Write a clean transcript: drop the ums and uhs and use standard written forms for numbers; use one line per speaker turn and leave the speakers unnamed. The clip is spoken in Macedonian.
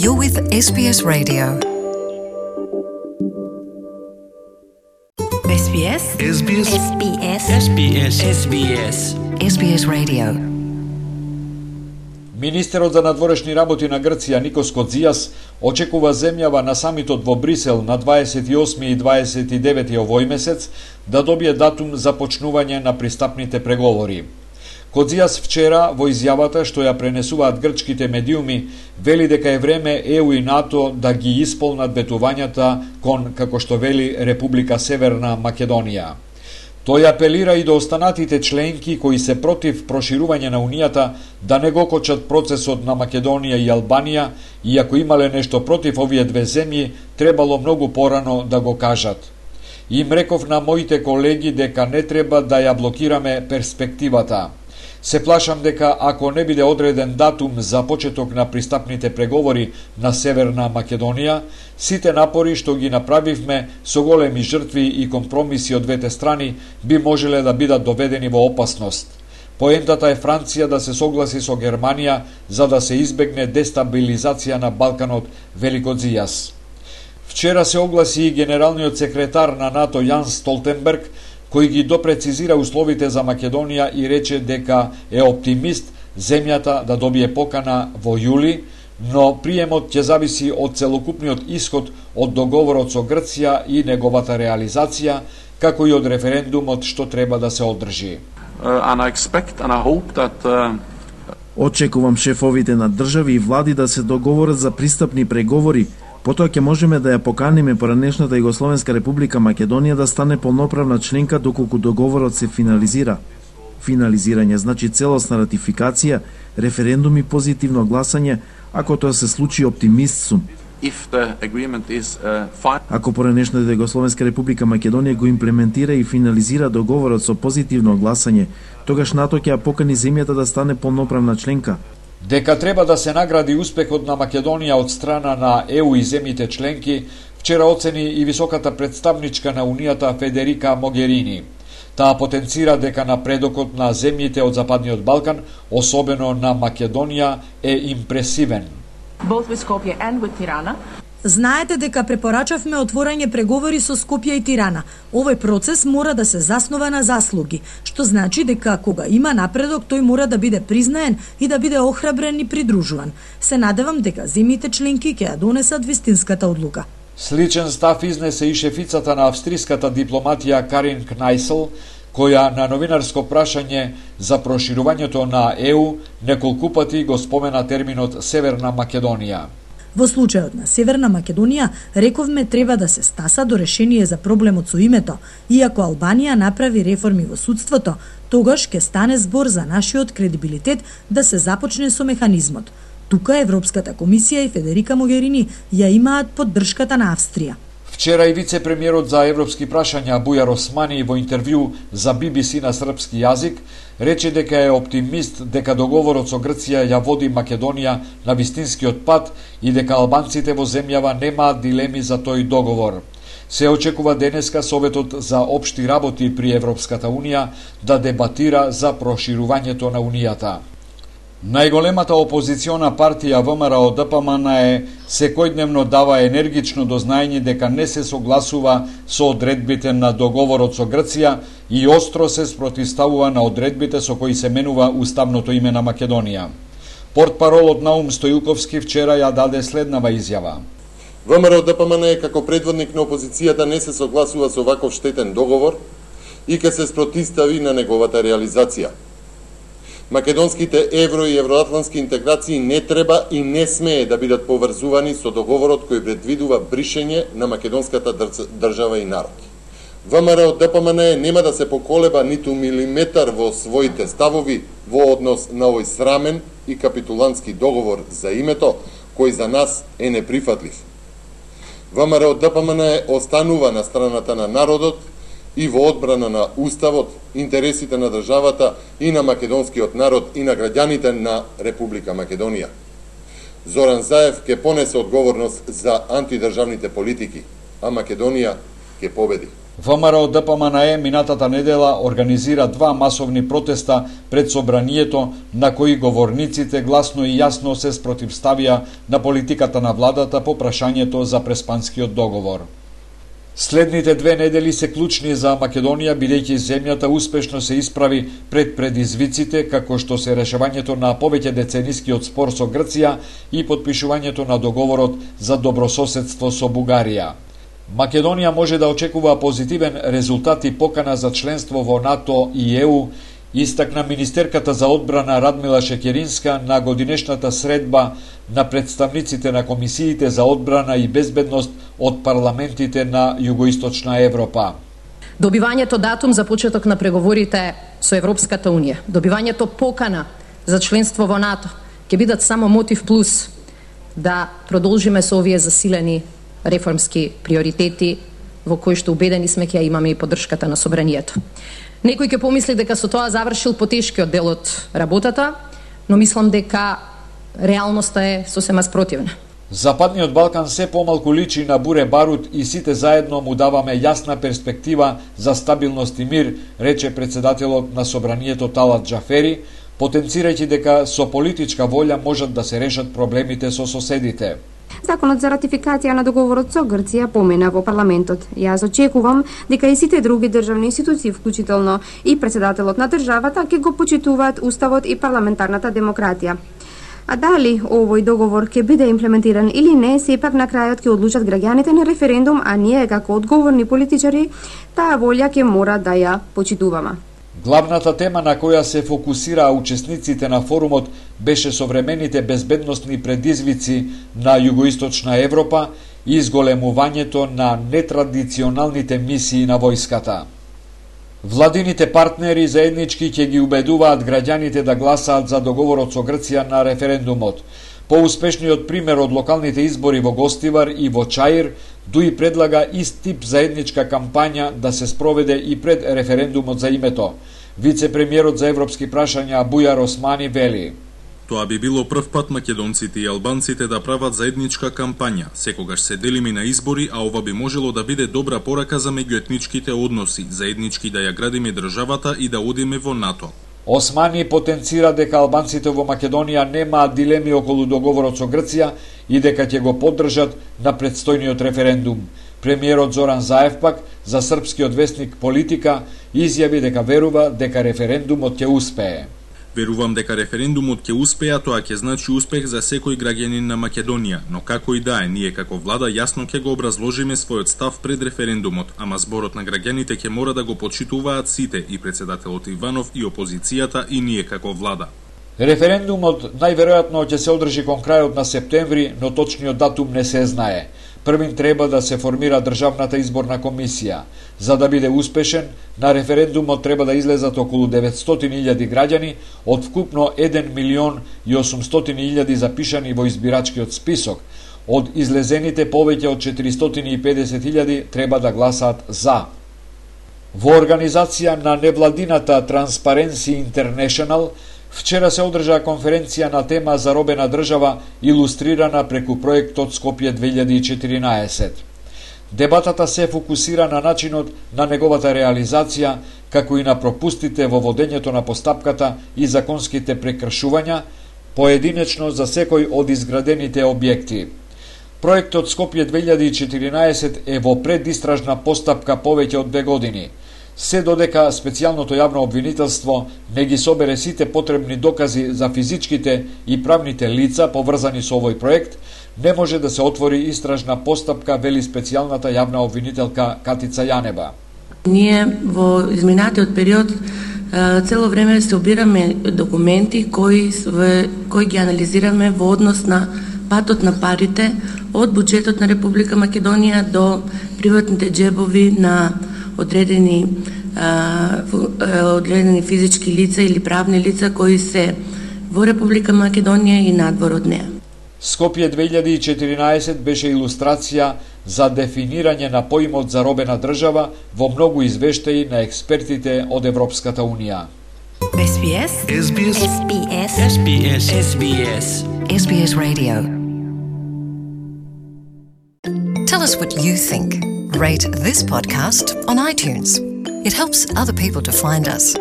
You're with SBS Radio.
SBS
SBS
SBS
SBS SBS
SBS Radio.
Министерот за надворешни работи на Грција Никос Кодзијас очекува земјава на самитот во Брисел на 28 и 29 овој месец да добие датум за почнување на пристапните преговори. Кодзијас вчера во изјавата што ја пренесуваат грчките медиуми вели дека е време ЕУ и НАТО да ги исполнат ветувањата кон, како што вели, Република Северна Македонија. Тој апелира и до останатите членки кои се против проширување на Унијата да не го кочат процесот на Македонија и Албанија, и ако имале нешто против овие две земји, требало многу порано да го кажат. Им реков на моите колеги дека не треба да ја блокираме перспективата. Се плашам дека ако не биде одреден датум за почеток на пристапните преговори на Северна Македонија, сите напори што ги направивме со големи жртви и компромиси од двете страни би можеле да бидат доведени во опасност. Поентата е Франција да се согласи со Германија за да се избегне дестабилизација на Балканот, вели Кодзијас. Вчера се огласи и генералниот секретар на НАТО Јанс Столтенберг, кој ги допрецизира условите за Македонија и рече дека е оптимист земјата да добие покана во јули, но приемот ќе зависи од целокупниот исход од договорот со Грција и неговата реализација, како и од референдумот што треба да се одржи.
Очекувам шефовите на држави и влади да се договорат за пристапни преговори. Потоа ќе можеме да ја поканиме поранешната Југословенска република Македонија да стане полноправна членка доколку договорот се финализира. Финализирање значи целосна ратификација, референдум и позитивно гласање, ако тоа се случи, оптимист сум. Ако поранешната Југословенска република Македонија го имплементира и финализира договорот со позитивно гласање, тогаш НАТО ќе ја покани земјата да стане полноправна членка.
Дека треба да се награди успехот на Македонија од страна на ЕУ и земјите членки, вчера оцени и високата представничка на Унијата Федерика Могерини. Таа потенцира дека напредокот на земјите од Западниот Балкан, особено на Македонија, е импресивен.
Знаете дека препорачавме отворање преговори со Скопје и Тирана. Овој процес мора да се заснова на заслуги, што значи дека кога има напредок, тој мора да биде признаен и да биде охрабрен и придружуван. Се надевам дека земјите членки ќе ја донесат вистинската одлука.
Сличен став изнесе и шефицата на австриската дипломатија Карин Кнајсел, која на новинарско прашање за проширувањето на ЕУ неколку пати го спомена терминот Северна Македонија.
Во случајот на Северна Македонија, рековме треба да се стаса до решение за проблемот со името, иако Албанија направи реформи во судството, тогаш ќе стане збор за нашиот кредибилитет да се започне со механизмот. Тука Европската комисија и Федерика Могерини ја имаат поддршката на Австрија.
Вчера и вице-премиерот за европски прашања Бујар Османи во интервју за BBC на српски јазик рече дека е оптимист дека договорот со Грција ја води Македонија на вистинскиот пат и дека албанците во земјава немаат дилеми за тој договор. Се очекува денеска Советот за општи работи при Европската Унија да дебатира за проширувањето на Унијата. Најголемата опозициона партија ВМРО ДПМН секојдневно дава енергично до знаење дека не се согласува со одредбите на договорот со Грција и остро се спротивставува на одредбите со кои се менува уставното име на Македонија. Портпаролот Наум Стојуковски вчера ја даде следнава изјава.
ВМРО ДПМН како предводник на опозицијата не се согласува со ваков штетен договор и ќе се спротивстави на неговата реализација. Македонските евро и евроатлантски интеграции не треба и не смее да бидат поврзувани со договорот кој предвидува бришење на македонската држава и народ. ВМРО ДПМН нема да се поколеба ниту милиметар во своите ставови во однос на овој срамен и капитулантски договор за името, кој за нас е неприфатлив. ВМРО ДПМН останува на страната на народот и во одбрана на уставот, интересите на државата и на македонскиот народ и на граѓаните на Република Македонија. Зоран Заев ќе понесе одговорност за антидржавните политики, а Македонија ќе победи.
ВМРО ДПМНЕ минатата недела организира 2 масовни протеста пред собранието, на кои говорниците гласно и јасно се спротивставија на политиката на владата по прашањето за преспанскиот договор. Следните 2 недели се клучни за Македонија, бидејќи земјата успешно се исправи пред предизвиците, како што се решавањето на повеќе деценискиот спор со Грција и потпишувањето на договорот за добрососедство со Бугарија. Македонија може да очекува позитивен резултат и покана за членство во НАТО и ЕУ, истакна министерката за одбрана Радмила Шекеринска на годинешната средба на представниците на комисиите за одбрана и безбедност од парламентите на Југоисточна Европа.
Добивањето датум за почеток на преговорите со Европската Унија, добивањето покана за членство во НАТО ќе бидат само мотив плюс да продолжиме со овие засилени реформски приоритети во кои што убедени сме ќе имаме и поддршката на собранието. Некој ќе помисли дека со тоа завршил потешкиот дел од работата, но мислам дека реалноста е сосема спротивна.
Западниот Балкан се помалку личи на буре барут и сите заедно му даваме јасна перспектива за стабилност и мир, рече председателот на собранието Талат Џафери, потенцирајќи дека со политичка волја можат да се решат проблемите со соседите.
Законот за ратификација на договорот со Грција помина во парламентот. Јас очекувам дека и сите други државни институции, вклучително и председателот на државата, ќе го почитуваат уставот и парламентарната демократија. А дали овој договор ќе биде имплементиран или не, сепак на крајот ќе одлучат граѓаните на референдум, а ние како одговорни политичари таа волја ќе мора да ја почитуваме.
Главната тема на која се фокусираа учесниците на форумот беше современите безбедносни предизвици на Југоисточна Европа и изголемувањето на нетрадиционалните мисии на војската. Владините партнери заеднички ќе ги убедуваат граѓаните да гласаат за договорот со Грција на референдумот. Поуспешниот пример од локалните избори во Гостивар и во Чаир, Дуи предлага ист тип заедничка кампања да се спроведе и пред референдумот за името. Вице-премиерот за европски прашања Бујар Османи вели:
Тоа би било прв пат македонците и албанците да прават заедничка кампања. Секогаш се делиме на избори, а ова би можело да биде добра порака за меѓуетничките односи, заеднички да ја градиме државата и да одиме во НАТО.
Османи потенцира дека албанците во Македонија немаат дилеми околу договорот со Грција и дека ќе го поддржат на предстојниот референдум. Премиерот Зоран Заев пак за српскиот весник Политика изјави дека верува дека референдумот ќе успее.
Верувам дека референдумот ќе успее, а тоа ќе значи успех за секој граѓанин на Македонија, но како и да е, ние како влада јасно ќе го образложиме својот став пред референдумот, ама зборот на граѓаните ќе мора да го почитуваат сите, и председателот Иванов, и опозицијата, и ние како влада.
Референдумот најверојатно ќе се одржи кон крајот на септември, но точниот датум не се знае. Првин треба да се формира државната изборна комисија. За да биде успешен, на референдумот треба да излезат околу 900.000 граѓани од вкупно 1.800.000 запишани во избирачкиот список. Од излезените повеќе од 450.000 треба да гласаат за. Во организација на невладината Transparency International вчера се одржа конференција на тема заробена држава илустрирана преку проектот Скопје 2014. Дебатата се фокусира на начинот на неговата реализација, како и на пропустите во водењето на постапката и законските прекршувања, поединечно за секој од изградените објекти. Проектот Скопје 2014 е во предистражна постапка повеќе од 2 години. Се додека специјалното јавно обвинителство не ги собере сите потребни докази за физичките и правните лица поврзани со овој проект, не може да се отвори истражна постапка, вели специјалната јавна обвинителка Катица Јанеба.
Ние во изминатиот период цело време се обираме документи кои ги анализираме во однос на патот на парите од буџетот на Република Македонија до приватните џебови на одредени физички лица или правни лица кои се во Република Македонија и надвор од неа.
Скопје 2014 беше илустрација за дефинирање на поимот заробена држава во многу извештаи на експертите од Европската Унија.
SBS
SBS
SBS
SBS SBS
SBS Radio. Tell us what you think. rate this podcast on iTunes. It helps other people to find us.